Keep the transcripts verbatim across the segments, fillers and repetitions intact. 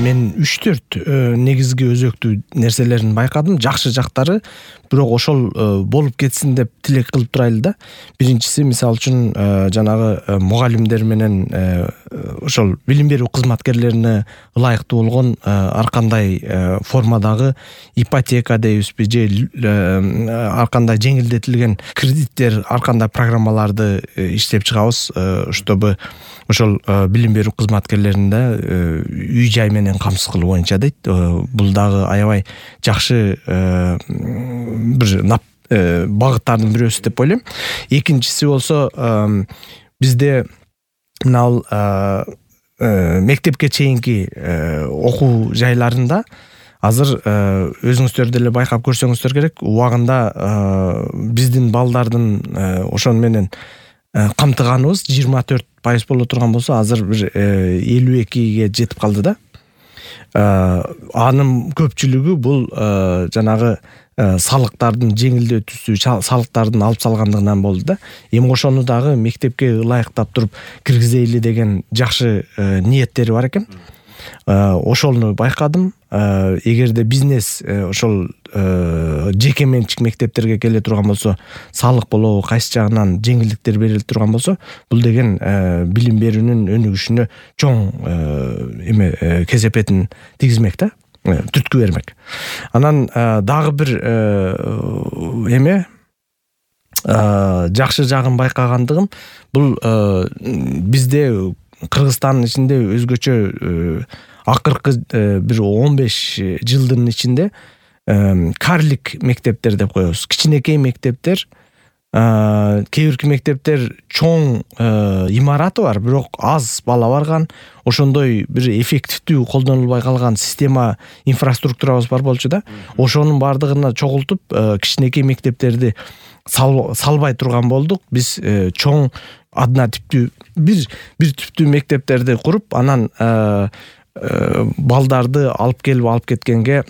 мен үч төрт негизги өзөктүү нерселерин байкадым. Жакшы жактары, бирок ошол болуп кетсин деп тилек кылып турайлы да. Биринчиси, мисалы үчүн, жанагы мугалимдер менен ошол билим берүү кызматкерлерине ылайыктуу болгон ар кандай формадагы ипотека дейбизби, же ар кандай жеңилдетилген кредиттер, ар кандай программаларды иштеп чыгабыз, чтобы ошол билим берүү кызматкерлеринде үй жай менен камсыз кылуу боюнча дейт. Бул дагы аябай жакшы бир багыттардын бирөөсү деп ойлойм. Экинчиси болсо, бизде мына мектепке чейинки окуу жайларында азыр өзүңүздөр деле байкап көрсөңүздөр керек, убагында биздин балдардын ошон менен камтыганыбыз жыйырма төрт пайыз боло турган болсо, азыр бир элүү экиге жетип калды да. Анын көпчүлүгү бул жанагы салыктардын жеңилдетүүсү, салыктардын алып салгандыгынан болду да. Эми ошону дагы мектепке ылайыктап туруп киргизейли деген жакшы ниеттери бар экен. Ошону байкадым. Эгерде бизнес ошол жеке менчик мектептерге келе турган болсо, салык болобу, кайсы жагынан жеңилдиктер бериле турган болсо, бул деген билим берүүнүн өнүгүшүнө чоң эме кесепетин тийгизмек да, түрткү бермек. Анан дагы бир эме жакшы жагын байкагандыгым, бул бизде Кыргызстандын ичинде өзгөчө акыркы бир он беш жылдын ичинде карлик мектептер деп коебуз. Кичинекей мектептер, кээ бирки мектептер чоң имараты бар, бирок аз бала барган, ошондой бир эффективдүү колдонулбай калган система, инфраструктурабыз бар болчу да. Ошонун бардыгына чогултуп, кичинекей мектептерди салбай турган болдук. Биз чоң адна типтүү бир бир түптүү мектептерди куруп, анан балдарды алып келип алып кеткенге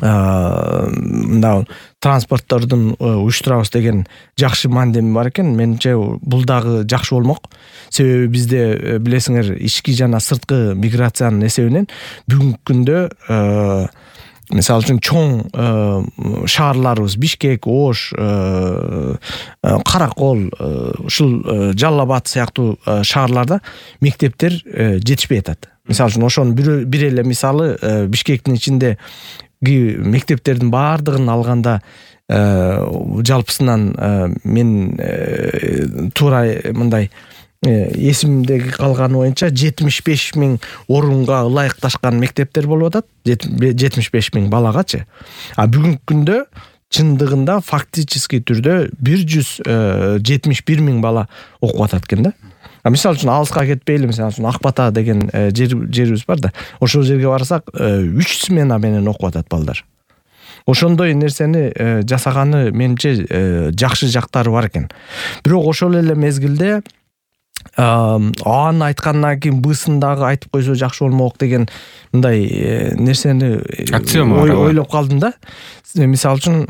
мына транспорттордун уюштурабыз деген жакшы мандеми бар экен. Менимче бул дагы жакшы болмок. Себеби бизде билесиңер, ички жана сырткы миграциянын эсебинен бүгүнкү күндө мисалы үчүн чоң шаарларыбыз Бишкек, Ош, Каракол, ушул Жалал Абад сыяктуу шаарларда мектептер жетишпей атат. Мисалы үчүн ошонун бир эле мисалы, Бишкектин ичинде мектептердин баардыгын алганда жалпысынан мен туура мындай эсимдеги калганы боюнча жетимиш беш миң орунга ылайыкташкан мектептер болуп атат, жетимиш беш миң балагачы. А бүгүнкү күндө чындыгында фактически түрдө бир жүз жетимиш бир миң бала окуп атат экен да. Мисалы үчүн алыска кетпейли, мисалы үчүн Ак Бата деген жерибиз бар да. Ошол жерге барсак үч смена менен окуп атат балдар. Ошондой нерсени жасаганы менимче жакшы жактары бар экен. Бирок ошол эле мезгилде Ааны айткандан кийин Бысын дагы айтып койсо жакшы болмок деген мындай нерсени ойлоп калдым да. Мисалы үчүн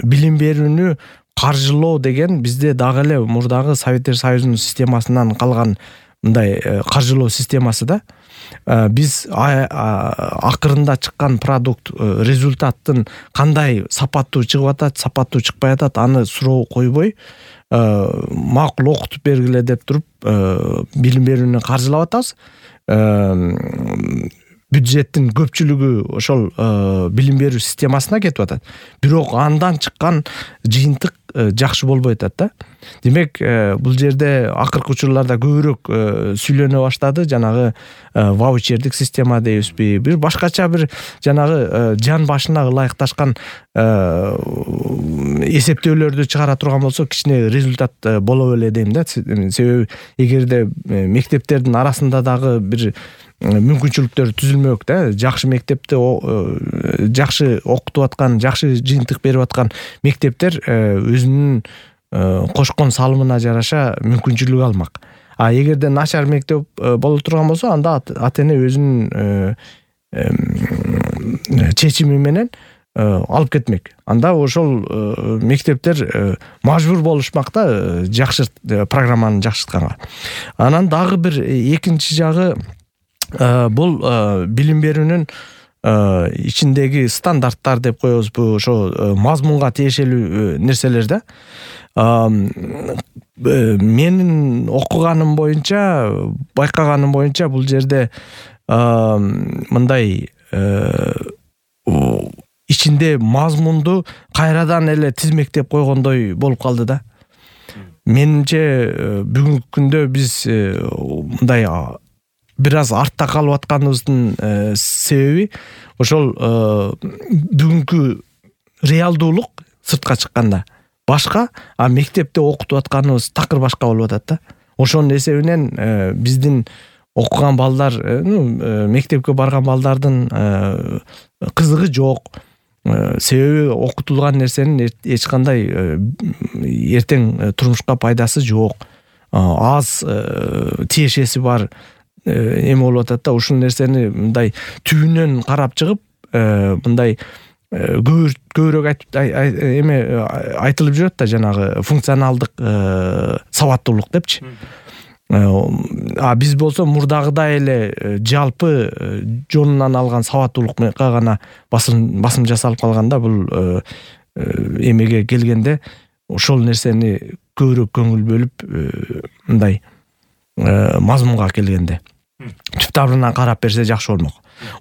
билим берүүнү каржылоо деген бизде дагы эле мурдагы Советтер Союзунун системасынан калган мындай каржылоо системасы да. Биз акырында чыккан продукт, результаттын кандай сапаттуу чыгып атат, сапаттуу чыкпай атат, аны суроо койбой, макул окутуп бергиле деп туруп билим берүүнү каржылап атабыз. Бюджеттин көпчүлүгү ошол билим берүү системасына кетип атат. Бирок андан чыккан жыйынтык жакшы болбой атат да. Демек, бул жерде акыркы учурларда көбүрөөк сүйлөнө баштады, жанагы ваучердик система дейбизби, бир башкача бир жанагы жан башына ылайыкташкан эсептөөлөрдү чыгара турган болсо, кичине результат боло беле дейм да. Себеби эгерде мектептердин арасында дагы бир мүмкүнчүлүктөр түзүлмөк да. Жакшы мектепте жакшы окутуп аткан, жакшы жыйынтык берип аткан мектептер өзүнүн кошкон салымына жараша мүмкүнчүлүк алмак. А эгерде начар мектеп боло турган болсо, анда ата-эне өзүнүн чечими менен алып кетмек. Анда ошол мектептер мажбур болушмак да, жакшы программаны жакшыртканга. Анан дагы бир экинчи жагы, бул билим берүүнүн ичиндеги стандарттар деп коебузбу, ошо мазмунга тиешелүү нерселер да. Менин окуганым боюнча, байкаганым боюнча бул жерде мындай ичинде мазмунду кайрадан эле тизмектеп койгондой болуп калды да. Менимче бүгүнкү күндө биз мындай бир аз артта калып атканыбыздын себеби ошол бүгүнкү реалдуулук сыртка чыкканда башка, а мектепте окутуп атканыбыз такыр башка болуп атат да. Ошонун эсебинен биздин окуган балдар, мектепке барган балдардын кызыгы жок. Себеби окутулган нерсенин эч кандай эртең турмушка пайдасы жок. Аз тиешеси бар эме болуп атат да. Ушул нерсени мындай түбүнөн карап чыгып, мындай көбүрөөк эме айтылып жүрөт да, жанагы функционалдык сабаттуулук депчи. А биз болсо мурдагыдай эле жалпы жонунан алган сабаттуулукка гана басым басым жасалып калганда, бул эмеге келгенде ошол нерсени көбүрөөк көңүл бөлүп, мындай мазмунга келгенде түп табырынан карап берсе жакшы болмок.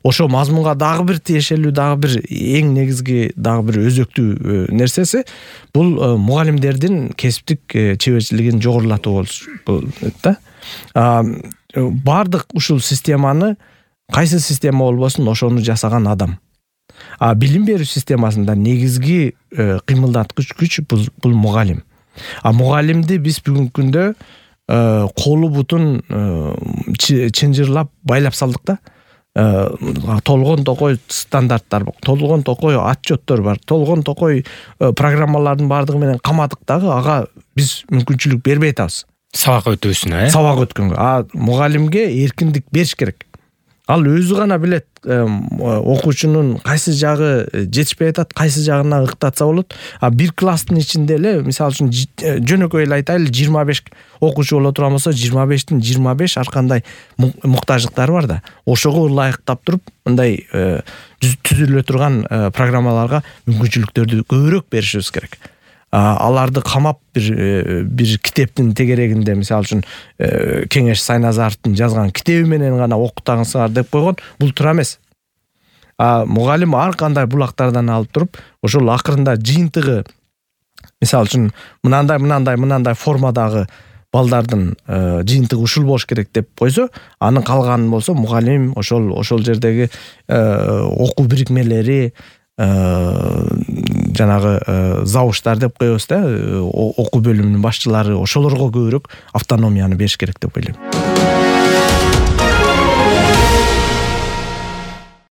Ошо мазмунга дагы бир тиешелүү, дагы бир эң негизги, дагы бир өзөктүү нерсеси бул мугалимдердин кесиптик чеберчилигин жогорулатуу болот да. Бардык ушул системаны, кайсы система болбосун, ошону жасаган адам. А билим берүү системасында негизги кыймылдаткыч күч бул мугалим. А мугалимди биз бүгүнкү күндө колу бутун чынжырлап байлап салдык да. Толгон токой стандарттар бар, толгон токой отчеттор бар, толгон токой программалардын бардыгы менен камадык дагы, ага биз мүмкүнчүлүк бербей атабыз. Сабак өтүүсүнө, э? Сабак өткөнгө. А мугалимге эркиндик бериш керек. Ал өзү гана билет окуучунун кайсы жагы жетишпей атат, кайсы жагына ыктатса болот. А бир класстын ичинде эле, мисалы үчүн жөнөкөй эле айтайлы, жыйырма беш окуучу боло турган болсо, жыйырма бештин жыйырма беш ар кандай муктаждыктары бар да. Ошого ылайыктап туруп, мындай түзүлө турган программаларга мүмкүнчүлүктөрдү көбүрөөк беришибиз керек. Аларды камап бир бир китептин тегерегинде, мисалы үчүн Кеңеш Сайназаровдун жазган китеби менен гана окутаңыздар деп койгон, бул туура эмес. А мугалим ар кандай булактардан алып туруп, ошол акырында жыйынтыгы, мисалы үчүн мынандай мынандай мынандай формадагы балдардын жыйынтыгы ушул болуш керек деп койсо, анын калганын болсо мугалим ошол ошол жердеги окуу бирикмелери, жанагы завуштар деп коебуз да, окуу бөлүмүнүн башчылары, ошолорго көбүрөөк автономияны бериш керек деп ойлойм.